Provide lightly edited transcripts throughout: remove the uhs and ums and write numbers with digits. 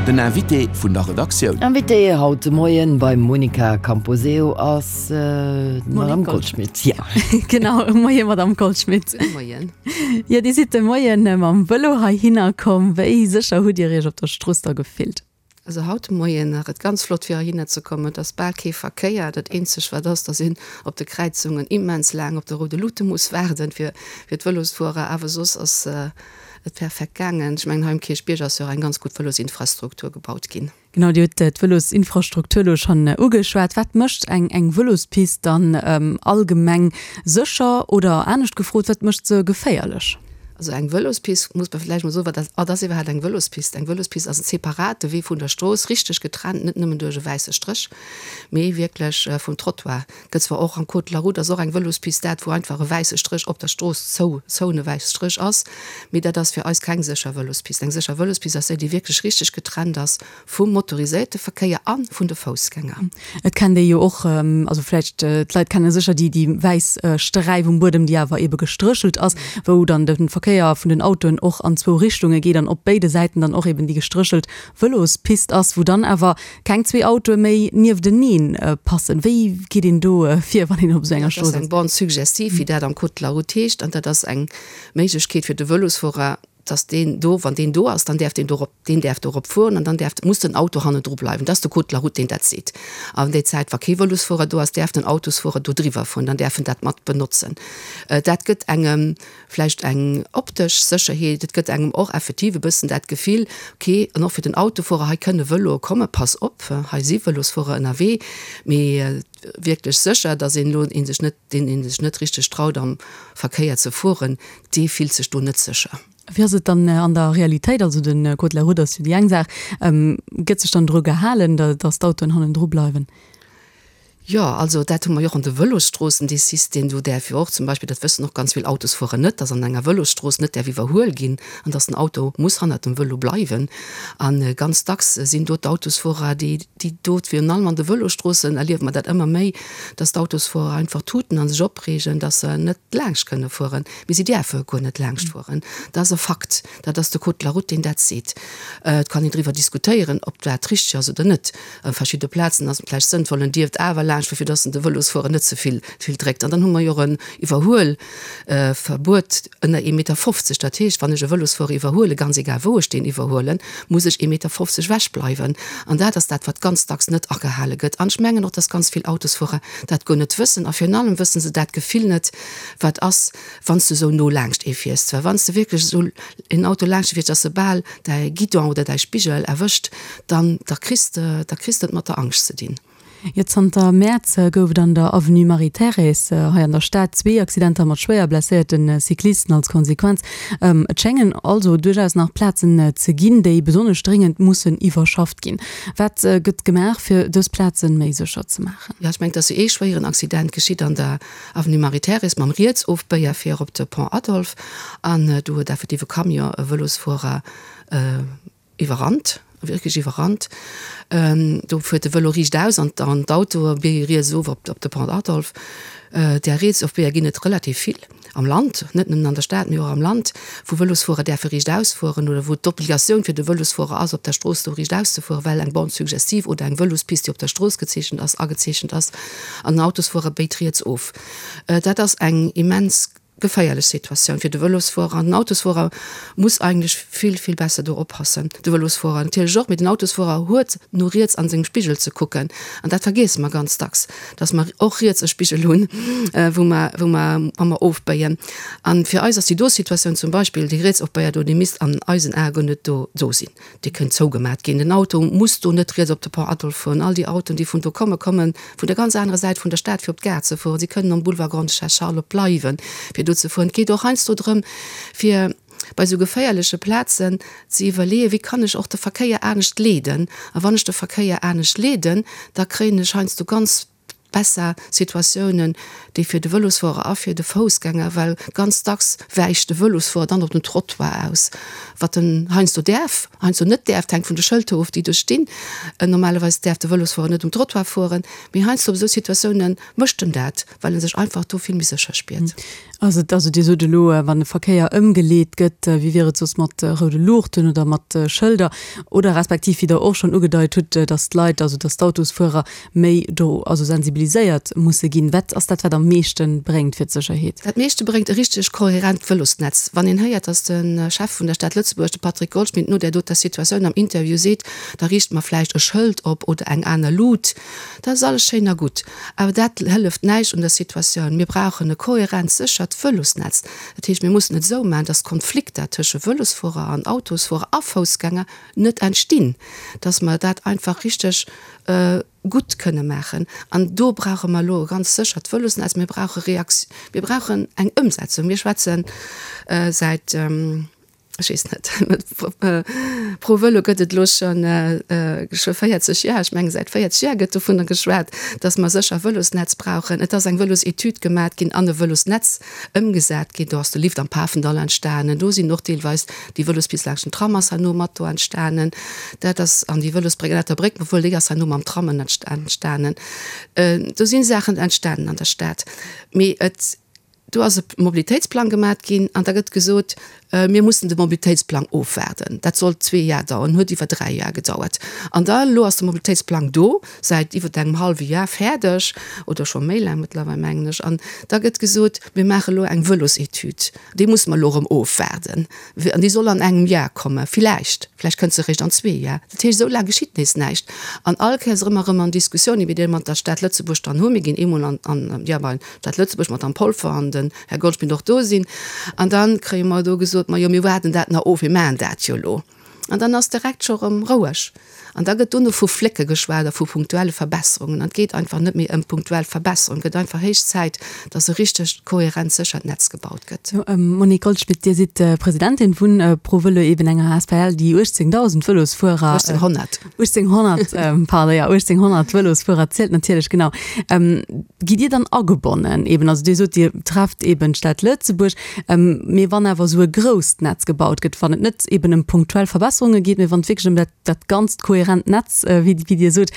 Den Invité vun der Redaktioun. Invité haut de Moien beim Monica Camposeo ass d'Madame Goldschmidt. Ja. Genau, Moien Madame Goldschmidt. Moien. Jo, Dir sidd de Moien mam Vëlo heihinner komm. Wéi sécher hutt Dir Iech op der Strooss da gefillt? Also haut de Moien war et ganz flott fir heihinner ze kommen. Et ass bal kee Verkéier. Dat eenzegt wat ass, dass een op de Kräizungen immens laang op de roude Luute muss waarden fir fir d'Vëlosfuerer. Awer soss ass et perfekt gaangen. Ech mengen hei um Kierchbierg ass jo och eng ganz gutt Vëlosinfrastruktur gebaut ginn. Genau, Dir hutt d'Vëlosinfrastruktur elo schonn ugeschwat. Wat mécht eng eng Vëlospist dann allgemeng sécher oder anescht gefrot, wat mécht se geféierlech? Also eng Vëlospist, muss mer vläicht mol soen, wat dat ass iwwerhaapt eng Vëlospist? Eng Vëlospist ass en separate Wee vun der Strooss, richteg getrennt, net nëmmen duerch e wäisse Stréch, mee wierklech vum Trottoir. Gëtt zwar och am Code de la route ass och eng Vëlospist dat, wou einfach e wäisse Stréch op der Strooss zou, zou e wäisse Stréch ass, mee dat ass fir eis keng sécher Vëlospist. Eng sécher Vëlospist ass déi, déi wierklech richteg getrennt ass Vum motoriséierte Verkéier a vun de Foussgänger. Et kennt ee jo och, also vläicht d'Leit kenne sécher déi déi wäiss Sträif um Buedem, déi awer ebe gestréchelt ass, wou dann de Verkéier vun den Autoen och an zwou Richtunge geet an op béide Säiten dann och eben déi gestréchelt Vëlospist ass, wou dann awer keng zwee Autoe méi nieftenee passen. Wéi geet een do vir, wann een op esou enger Strooss ass? Dat ass eng Bande suggestive, wéi dat am Code de la route heescht, an dat ass eng Méiglechkeet fir de Vëlosfuerer, dass deen do, wann deen do ass, dann däerf deen dorop, deen däerf dorop fueren an dann däerf, muss den Auto hannendru bleiwen. Dat ass de Code de la route, deen dat seet. An déi Zäit, wa kee Vëlosfuerer do ass, däerf den Autosfuerer do driwwer fueren, dann däerf en dat mat benotzen. Dat gëtt engem vläicht eng optesch Sécherheet, et gëtt engem och effektiv e bëssen dat Gefill, okay, an och fir den Autofuerer, hei kënne Vëloe kommen, pass op, hei si Vëlosfuerer ënnerwee. Mee wierklech sécher, dass een elo ee sech net, deen ee sech net richteg traut am Verkéier ze fueren, dee fillt sech do net sécher. Wéi ass et dann an der Realitéit? Also de Code de la route ass jo déi eng Saach. Gëtt sech dann dru gehalen, datt d'Autoen hannendru bleiwen? Jo, also dat hu mer jo och an de Vëlosstroossen, dee System. Do däerf jo och zum Beispill, dat wëssen och ganz vill Autosfuerer net, datt an enger Vëlosstrooss net däerf iwwerhuel ginn an datt den Auto muss hannert dem Vëlo bleiwen. A ganz dacks sinn do d'Autosfuerer, déi déi do, virun allem an de Vëlosstroossen erliewe mer dat ëmmer méi, datt d'Autosfuerer einfach tuten a sech opreegen, datt se net laanscht kënne fueren. Mee si däerfe guer net laanscht fueren. Dat ass e Fakt. Dat ass de Code de la route, deen dat seet. Et kann een driwwer diskutéieren, ob dat richteg ass oder net. A verschidde Plazen ass et vläicht sënnvoll, en dierft awer laanscht fueren, fir dass en de Vëlosfuerer net ze vill vill dréckt. An dann hu mer jo och en Iwwerhuelverbuet ënner ee Meter 50. Dat heescht, wann ech e Vëlosfuerer iwwerhuelen, ganz egal wou ech deen iwwerhuelen, muss ech ee Meter 50 ewech bleiwen. An dat ass dat, wat ganz dacks net agehale gëtt. An ech mengen och, dass ganz vill Autosfuerer dat guer net wëssen. A virun allem wësse se dat Gefill net, Wat ass, wann s du esou no laangscht ee fiers? Well wann s de wierklech esou een Auto laangscht fiers, dass e bal däi Guidon oder däi Spigel erwëscht, dann da kriss de, da kriss de et mat der Angscht ze dinn. Jo, zanter Mäerz gouf et an der Avenue Marie-Thérèse hei an der Stad zwee Accidenter mat schwéier blesséierte Cyclisten als Konsequenz. Et schéngen also duerchaus nach Plazen ze ginn, déi besonnesch dréngend mussen iwwerschafft ginn. Wat gëtt gemaach, fir dës Plazen méi sécher ze maachen? Jo, ech mengen, et ass jo ee schwéieren Accident geschitt an der Avenue Marie-Thérèse mam Rietsofbéier fir op de Pont Adolphe an do huet effektiv e Camion e Vëlosfuerer iwwerrannt, wierklech iwwerrannt. Do fuert de Vëlo riicht aus an d'Autoe béie riets of op de Pont Adolphe. Där Rietsofbéier ginn et relativ vill am Land, net nëmmen an der Stad, mee och am Land, wou Vëlosfuerer däerfe riicht ausfueren oder wou d'Obligatioun fir de Vëlosfuerer ass, op der Strooss do riicht auszefueren, well eng Borne suggestive oder eng Vëlospist, déi op der Strooss gezeechent ass, agezeechent ass. An den Autosfuerer béit riets of. Dat ass eng immens geféierlech Situatioun fir de Vëlosfuerer. An den Autosfuerer muss eigentlech vill, vill besser do oppassen. De Vëlosfuerer natierlech och, mee den Autosfuerer huet no riets an sengem Spigel ze kucken. An dat vergiesse mer ganz dacks, dass mer och riets e Spigel hunn, wou mer, wou mer, wa mer ofbéien. A fir eis ass déi do Situatioun zum Beispill, déi Rietsofbéier do, déi misst an eisen Ae guer net do, do sinn. Déi kënnt zougemat ginn. Den Auto muss do net riets op de Pont Adolphe fueren. All déi Autoen, déi vun do kommen, komme vun der ganz anerer Säit vun der Stad, fir op d'Gare ze fueren. Si kënnen am Boulevard Grande-Duchesse Charlotte bleiwen, fir do ze fueren. Et geet och heiansdo drëm, fir bei esou geféierleche Plazen ze iwwerleeën, Wéi kann ech och de Verkéier anescht leeden? A wann ech de Verkéier anescht leeden, da kréien ech heiansdo ganz. besser Situatiounen, déi fir de Vëlosfuerer a fir de Foussgänger, well ganz dacks wäicht de Vëlosfuerer dann op den Trottoir aus, wat en heiansdo däerf, heiansdo net däerf, et hänkt vun de Schëlter of, déi do stinn. Normalerweis däerf de Vëlosfuerer net um Trottoir fueren, mee heiansdo op esou Situatioune mécht en dat, well e sech einfach do vill méi sécher spiert. Also, also Dir sot elo, wann de Verkéier ëmgeleet gëtt, wéi wier et soss mat roude Luuchten oder mat Schëlder oder respektiv, wéi Der och schonn ugedeit hutt, datt d'Leit, also datt d'Autosfuerer méi do also sensibiliséiert musse ginn. Wat ass dat, wat am meeschte bréngt fir d'Sécherheet? Dat meeschte bréngt e richteg kohärent Vëlosnetz. Wann een héiert, datt de Chef vun der Stad Lëtzebuerg, de Patrick Goldschmidt, no där doter Situatioun am Interview seet, da riichte mer vläicht e Schëld op oder eng aner Lut, dat ass alles schéin a gutt, awer dat hëlleft näischt un der Situatioun. Mir brauchen e kohärent, séchert Vëlosnetz. Dat heescht, mir mussen et esou maachen, datt Konflikter tësche Vëlosfuerer an Autosfuerer a Foussgänger net entstinn, datt mer dat einfach richteg gutt kënne maachen. An do brauche mer elo e ganz séchert Vëlosnetz. Mir brauche Reakt, mir brauchen eng Ëmsetzung. Mir schwätze säit, ech weess net, Pro Vëlo gëtt et elo schonn scho 40 Jar, ech menge säit 40 Jar gëtt dovunner geschwat, datt mer sécher Vëlosnetz brauchen. Et ass eng Vëlosetüd gemat ginn an e Vëlosnetz ëmgesat ginn. Do ass de Lift am Pafendall entstanen, do sinn och deelweis déi Vëlospist laanscht den Tram ass herno mat do entstanen. Dat ass, an déi Vëlosbréck ënnert der Bréck, obwuel déi ass herno mam Tram entstanen. Do si Saachen entstanen an der Stad. Mee et, do ass e Mobilitéitsplang gemat ginn an da gëtt gesot, Mir mussen de Mobilitéitsplang ofwaarden. Dat sollt zwee Jar daueren, huet iwwer dräi Jar gedauert. An da elo ass de Mobilitéitsplang do, säit iwwer engem hallwe Jar fäerdeg, oder scho méi laang mëttlerweil, mengen ech. An da gëtt gesot, mir maache elo eng Vëlosetüd. Déi musse mer elo erëm ofwaarden. An déi soll an engem Jar kommen, villäicht. Vläicht kënnt se eréischt an zwee Jar. Dat heescht, esou laang geschitt nees näischt. An all Kéiers erëm a erëm an Diskussioune, wéi déi mat der Stad Lëtzebuerg dann hunn. Mir ginn eemol an, an, jo, bei d'Stad Lëtzebuerg, d'Madame Polfer an den Här Goldschmidt och do sinn. An da kréie mer do gesot, Ma jo, mir waarden dat nach of, mir maachen dat jo elo. An dann ass direkt scho rëm roueg. An da gëtt dono vu Flécke geschwat a vu punktuelle Verbesserungen. An et geet einfach net méi ëm punktuell Verbesserungen. Et gëtt einfach héich Zäit, dass e richtegt, kohärent, séchert Netz gebaut gëtt. Monique Goldschmidt, Dir sidd Presidentin vun ProVëlo, eben enger asbl, déi 18.000 Vëlosfuerer. 1800. 1800, pardon, jo, 1800 Vëlosfuerer zielt natierlech, genau. Gitt Dir dann agebonnen eben? Also Dir sot, Dir trefft eben d'Stad Lëtzebuerg. Mee wann awer esou e grousst Netz gebaut gëtt, wann et net eben ëm punktuell Verbesserunge geet, mee wann et wierklech ëm dat, dat ganzt kohärent Netz, wéi, wéi Dir sot,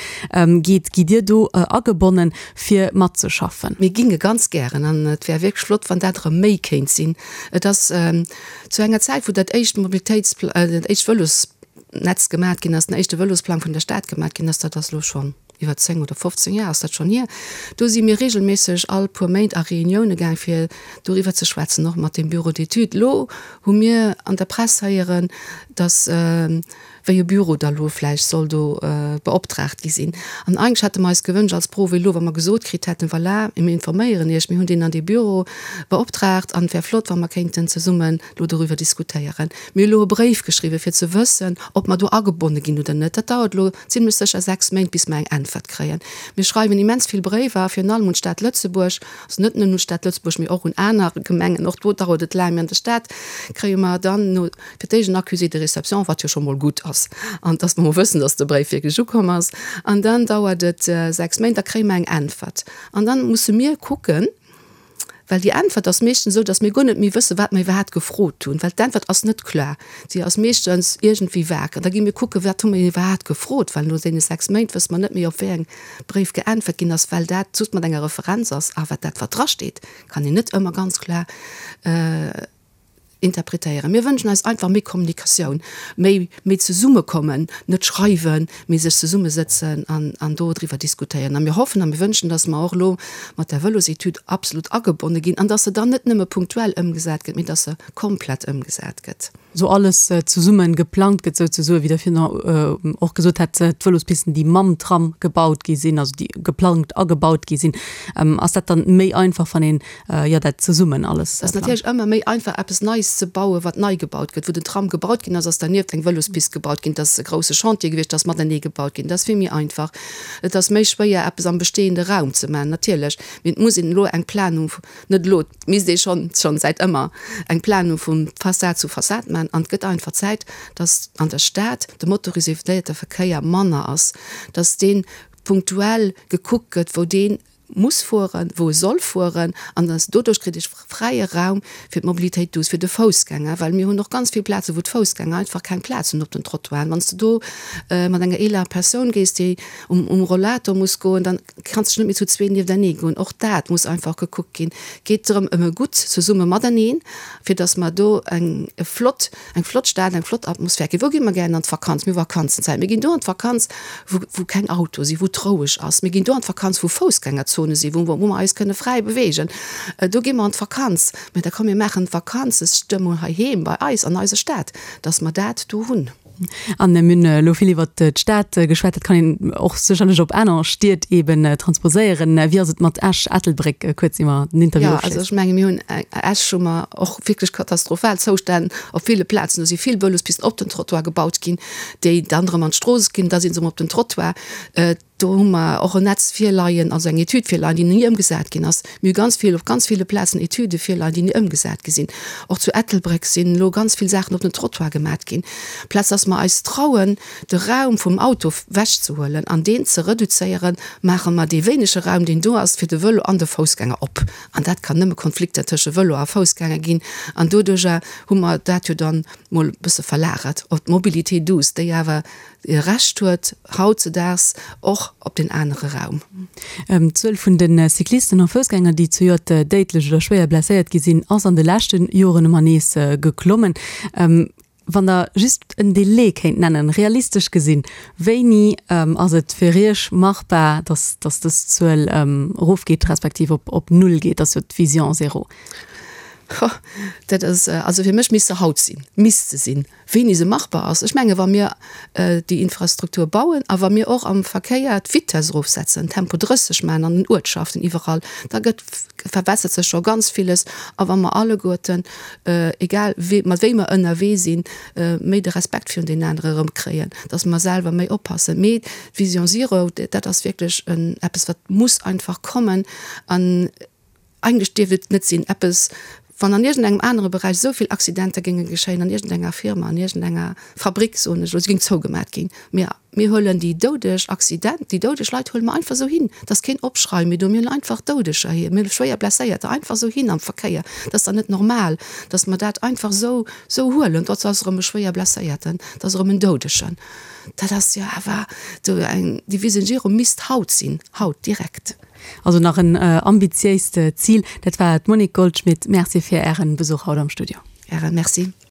geet, gitt Dir do agebonnen, fir matzeschaffen? Mir ginge ganz gären, an et wär wierklech flott, wann dat erëm méi kéint sinn. Et ass zu enger Zäit, wou dat éischt Mobilitéits-, dat éischt Vëlosnetz gemat ginn ass, den éischte Vëlosplang vun der Stad gemat ginn ass, dat ass elo schonn iwwer 10 oder 15 Jar ass dat schonn hier, do si mir regelméisseg all puer Méint a Reunioune gaang fir doriwwer ze schwätzen, och mat dem Bureau d'études. Elo hu mir an der Press héieren, datt wéi e Büro da lo vläicht soll do beoptraagt gi sinn. An eigentlech hätte mer eis gewënscht als ProVelo, wa mer gesot kritt hätten, voilà, mir informéieren Iech, mir hunn deen an dee Büro beoptraagt an et wär flott, wa mer kéinten zesummen elo doriwwer diskutéieren. Mir hu elo e Bréif geschriwwen, fir ze wëssen, ob mer do agebonne ginn oder net. Dat dauert elo zimlech sécher 6 Méint, bis mer eng Äntwert kréien. Mir schreiwen immens vill Bréiwer, virun allem un d'Stad Lëtzebuerg, also net nëmmen un d'Stad Lëtzebuerg, mee och un aner Gemengen. Och do dauert et laang. Mee an der Stad kréie mer dann no fir d'éischt en Accusé de réception, wat jo scho mol gutt ass, an dass mer mol wëssen, dass de Bréif wierklech ukomm ass. An dann dauert et 6 Méint, da kréie mer eng Äntwert. An dann musse mir kucken, Well déi Äntwert ass meeschtens esou, datt mir guer net méi wëssen, wat mer iwwerhaapt gefrot hunn, well d'Äntwert ass net kloer. Si ass meeschtens iergendwéi vag. An da gi mir kucken, wat hu mir iwwerhaapt gefrot, well no deene 6 Méint wësse mer net méi, op wéi eng Bréif geäntwert ginn ass, well dat just mat enger Referenz ass. A wat dat, wat drasteet, kann een net ëmmer ganz kloer Interpretéieren. Mir wënschen eis einfach méi Kommunikatioun, méi, méi Zesummekommen, net schreiwen, mee sech zesummesëtzen an, an do driwwer diskutéieren. A mir hoffen a mir wënschen, dass mer och elo mat der Vëlosetüd absolut agebonne ginn an dass se dann net nëmme punktuell ëmgesat gëtt, mee dass se komplett ëmgesat gëtt. Esou alles zesumme geplangt gëtt souzesoen, wéi Der virun och gesot hat, d'Vëlospisten, déi mam Tram gebaut gi sinn, also déi geplangt a gebaut gi sinn. Ass dat dann méi einfach, wann een jo dat zesummen alles. Et ass natierlech ëmmer méi einfach eppes Neies ze bauen, wat nei gebaut gëtt. Wou den Tram gebaut ginn ass, ass dernieft eng Vëlospist gebaut ginn. Dat ass e grousse Chantier gewiescht, dat ass matenee gebaut ginn. Dat ass vill méi einfach. Et ass méi schwéier eppes am bestehende Raum ze maachen, natierlech. Mee et muss een elo eng Planung, net elo, et misst ee schonn, schonn säit ëmmer eng Planung vu Fassad zu Fassad maachen. An et gëtt einfach Zäit, dass an der Stad de motoriséierte Verkéier manner ass, dass dee punktuell gekuckt gëtt, wou dee. muss fueren, wou e soll fueren, an dass doduerch kritt ech fräie Raum fir d'Mobilitéit douce, fir de Foussgänger, well mir hunn och ganz vill Plazen, wou d'Foussgänger einfach keng Plaz hunn op den Trottoiren. Wann s de do mat enger eeler Persoun gees, déi um Rollator muss goen, dann kanns de net méi zu zwee nieftenee goen. Och dat muss einfach gekuckt ginn. Geet drëm ëm e gutt Zesumme mateneen, fir dass mer do eng flott Eng flott Stad, eng flott Atmosphär. Wou gi mer gären an d'Vakanz? Mir hu Vakanzenzäit. Mir ginn do an d'Vakanz, wou, wou keng Autoe sinn, wou et roueg ass. Mir ginn do an d'Vakanz, wou Foussgängerzone sinn, wou, wou mer eis kënne fräi beweegen. Do gi mer an d'Vakanz. Mä da komm, mir maachen d'Vakanzestëmmung heiheem bei eis an eiser Stad, dass mer dat do hunn. An mir hunn elo vill iwwert d'Stad geschwat. Dat kann een och sécherlech op aner Stied eeben transposéieren. Wéi ass et mat Esch, Ettelbréck, kuerz ier mer den Interview Jo, also ofschléissen? ech menge mir hunn Esch hu mer och wierklech katastrophal Zoustänn op ville Plazen. Do si vill Vëlospisten op den Trottoir gebaut ginn, déi dann erëm an d'Strooss ginn, da si se erëm op den Trottoir. Do hu mer och en Netz virleien, also eng Etüd virleien, déi ni ëmgesat ginn ass. Mir hu ganz vill, op ganz ville Plazen Etüde virleien, déi ni ëmgesat gi sinn. Och zu Ettelbréck sinn elo ganz vill Saachen op den Trottoir gemat ginn. Plaz dass mer eis trauen, de Raum vum Auto wechzehuelen an deen ze reduzéieren, maache mer dee wéinege Raum, deen do ass, fir de Vëlo an de Foussgänger op. An dat kann nëmme Konflikter tësche Vëlo a Foussgänger ginn. An doduerjer hu mer dat jo dann mol e bësse verlagert op d'Mobilité douce, déi awer e Recht huet hautzedaags och op deen anere Raum. D'Zuel vun de Cyclisten a Foussgänger, déi zejoert déidlech oder schwéier blesséiert gi sinn, ass an de leschte Joren ëmmer nees geklommen. Wann Der just en Delai kéint nennen, realistesch gesinn, wéini ass et fir Iech machbar, datt dës Zuel erofgeet, respektiv op Null geet? Dat ass jo d'Vision zéro. Dat ass, also fir mech misst se haut sinn, misst se sinn. Wéini se machbar ass? Ech menge wa mir déi Infrastruktur bauen a wa mir och am Verkéier d'Vitesse erofsetzen, Tempo 30 maachen an den Uertschaften iwwerall, da gëtt, verbessert sech scho ganz villes. A wa mer alleguerten, egal wéi, mat wéi mer ënnerwee sinn, méi de Respekt virun deenen anere erëmkréien, datt mer selwer méi oppassen. Mee d'Vision Zero, dat ass wierklech eppes, wat muss einfach kommen. An Eigentlech dierft et net sinn, eppes, wann an iergendengem anere Beräich esou vill Accidenter géinge geschéien, an iergendenger Firma, an iergendenger Fabrik, soen ech elo, se géing zougemat ginn. Mee mir huelen déi doudeg Accident, déi doudeg Leit huele mer einfach esou hin. Et ass keen Opschrei méi do. Mir huelen einfach Doudeger hier, mir huele schwéier Blesséierter einfach esou hin am Verkéier. Dat ass dann net normal, datt mer dat einfach esou, esou huelen. Dat ass erëm e schwéier Blesséierten, dat ass erëm en Doudegen. Dat ass jo awer do eng, déi Vision Zero misst haut sinn, haut direkt. Also nach en ambitiéist Zil. Dat war d'Monique Goldschmit. Merci fir Ären Besuch haut am Studio. Ären Merci.